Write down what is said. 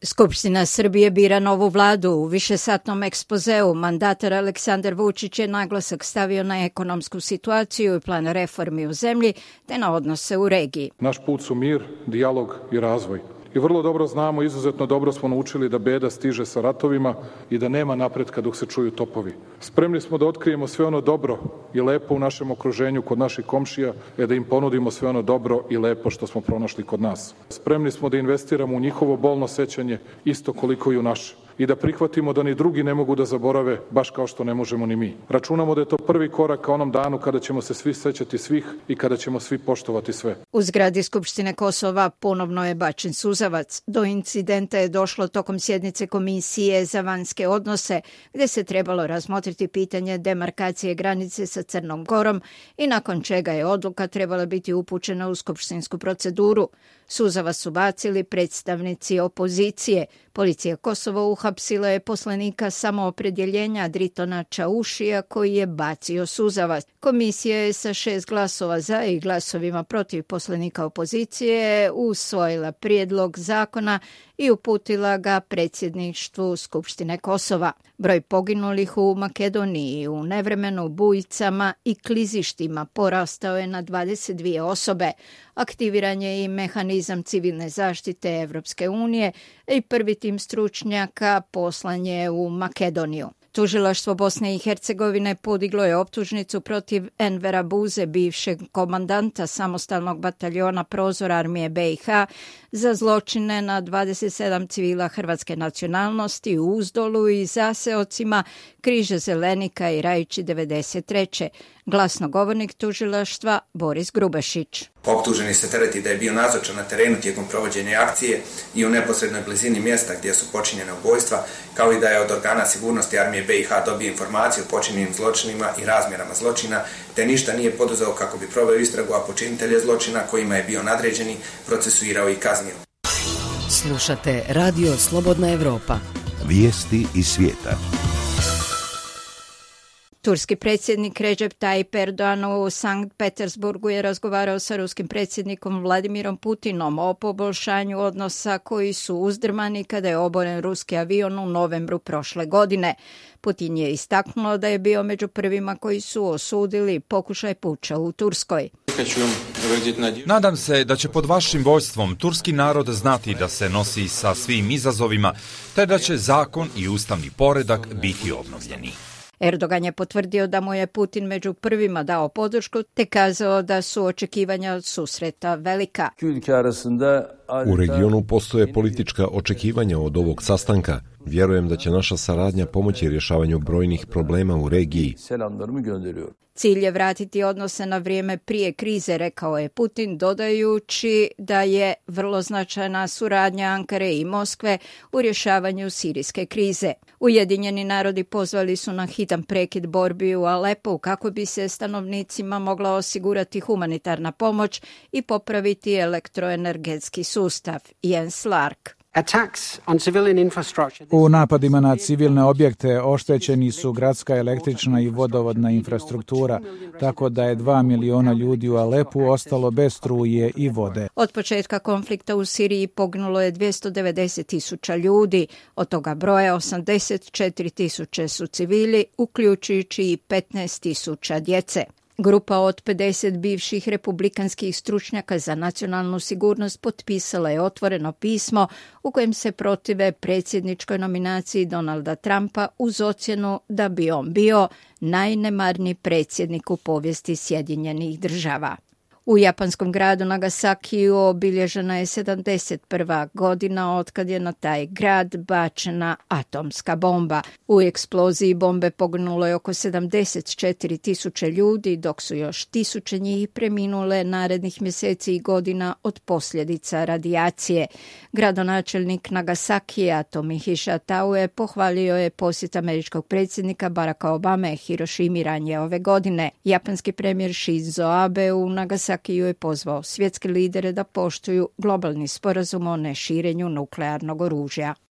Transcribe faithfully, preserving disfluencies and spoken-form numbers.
Skupština Srbije bira novu vladu. U višesatnom ekspozeu mandatar Aleksandar Vučić je naglasak stavio na ekonomsku situaciju i plan reformi u zemlji te na odnose u regiji. Naš put su mir, dijalog i razvoj. I vrlo dobro znamo, izuzetno dobro smo naučili da beda stiže sa ratovima i da nema napretka dok se čuju topovi. Spremni smo da otkrijemo sve ono dobro i lepo u našem okruženju kod naših komšija, e da im ponudimo sve ono dobro i lepo što smo pronašli kod nas. Spremni smo da investiramo u njihovo bolno sećanje isto koliko i u naše. I da prihvatimo da ni drugi ne mogu da zaborave, baš kao što ne možemo ni mi. Računamo da je to prvi korak ka onom danu kada ćemo se svi sećati svih i kada ćemo svi poštovati sve. U zgradi Skupštine Kosova ponovno je bačen suzavac. Do incidenta je došlo tokom sjednice Komisije za vanjske odnose, gde se trebalo razmotriti pitanje demarkacije granice sa Crnom Gorom i nakon čega je odluka trebala biti upućena u skupštinsku proceduru. Suzavac su bacili predstavnici opozicije. Policija Kosova uhapsila je poslanika samoopredjeljenja Dritona Čaušija koji je bacio suzavac. Komisija je sa šest glasova za i glasovima protiv poslanika opozicije usvojila prijedlog zakona i uputila ga predsjedništvu Skupštine Kosova. Broj poginulih u Makedoniji u nevremenu, bujicama i klizištima porastao je na dvadeset dvije osobe. Aktiviran je i mehanizam civilne zaštite Evropske unije i prvi tim stručnjaka poslan je u Makedoniju. Tužilaštvo Bosne i Hercegovine podiglo je optužnicu protiv Envera Buze, bivšeg komandanta samostalnog bataljona Prozor armije B i H, za zločine na dvadeset sedam civila hrvatske nacionalnosti u Uzdolu i zaseocima Križa Zelenika i Rajići devedeset treće. Glasnogovornik tužilaštva Boris Grubašić. Optuženi se tereti da je bio nazočan na terenu tijekom provođenja akcije i u neposrednoj blizini mjesta gdje su počinjene ubojstva, kao i da je od organa sigurnosti armije B i H dobio informaciju o počinjenim zločinima i razmjerama zločina, te ništa nije poduzeo kako bi proveo istragu, a počinitelje zločina kojima je bio nadređeni procesuirao i kaznio. Slušate Radio Slobodna Evropa. Vijesti iz svijeta. Turski predsjednik Recep Tayyip Erdogan u Sankt Petersburgu je razgovarao sa ruskim predsjednikom Vladimirom Putinom o poboljšanju odnosa koji su uzdrmani kada je oboren ruski avion u novembru prošle godine. Putin je istaknuo da je bio među prvima koji su osudili pokušaj puča u Turskoj. Nadam se da će pod vašim vodstvom turski narod znati da se nosi sa svim izazovima, te da će zakon i ustavni poredak biti obnovljeni. Erdogan je potvrdio da mu je Putin među prvima dao podršku te kazao da su očekivanja od susreta velika. U regionu postoje politička očekivanja od ovog sastanka. Vjerujem da će naša saradnja pomoći rješavanju brojnih problema u regiji. Cilj je vratiti odnose na vrijeme prije krize, rekao je Putin, dodajući da je vrlo značajna suradnja Ankare i Moskve u rješavanju sirijske krize. Ujedinjeni narodi pozvali su na hitan prekid borbi u Alepu kako bi se stanovnicima mogla osigurati humanitarna pomoć i popraviti elektroenergetski sustav. Jens Lark. U napadima na civilne objekte oštećeni su gradska električna i vodovodna infrastruktura, tako da je dva miliona ljudi u Alepu ostalo bez struje i vode. Od početka konflikta u Siriji poginulo je dvjesto devedeset tisuća ljudi, od toga broja osamdeset četiri tisuće su civili, uključujući i petnaest tisuća djece. Grupa od pedeset bivših republikanskih stručnjaka za nacionalnu sigurnost potpisala je otvoreno pismo u kojem se protive predsjedničkoj nominaciji Donalda Trumpa uz ocjenu da bi on bio najnemarniji predsjednik u povijesti Sjedinjenih Država. U japanskom gradu Nagasakiju obilježena je sedamdeset prva godina otkad je na taj grad bačena atomska bomba. U eksploziji bombe poginulo je oko sedamdeset četiri tisuće ljudi, dok su još tisuće njih preminule narednih mjeseci i godina od posljedica radijacije. Gradonačelnik Nagasakija Tomohisa Taue pohvalio je posjet američkog predsjednika Baracka Obame Hirošimi ranije ove godine. Japanski premijer Shinzo Abe u Nagasakiju je pozvao svjetske lidere da poštuju globalni sporazum o neširenju nuklearnog oružja.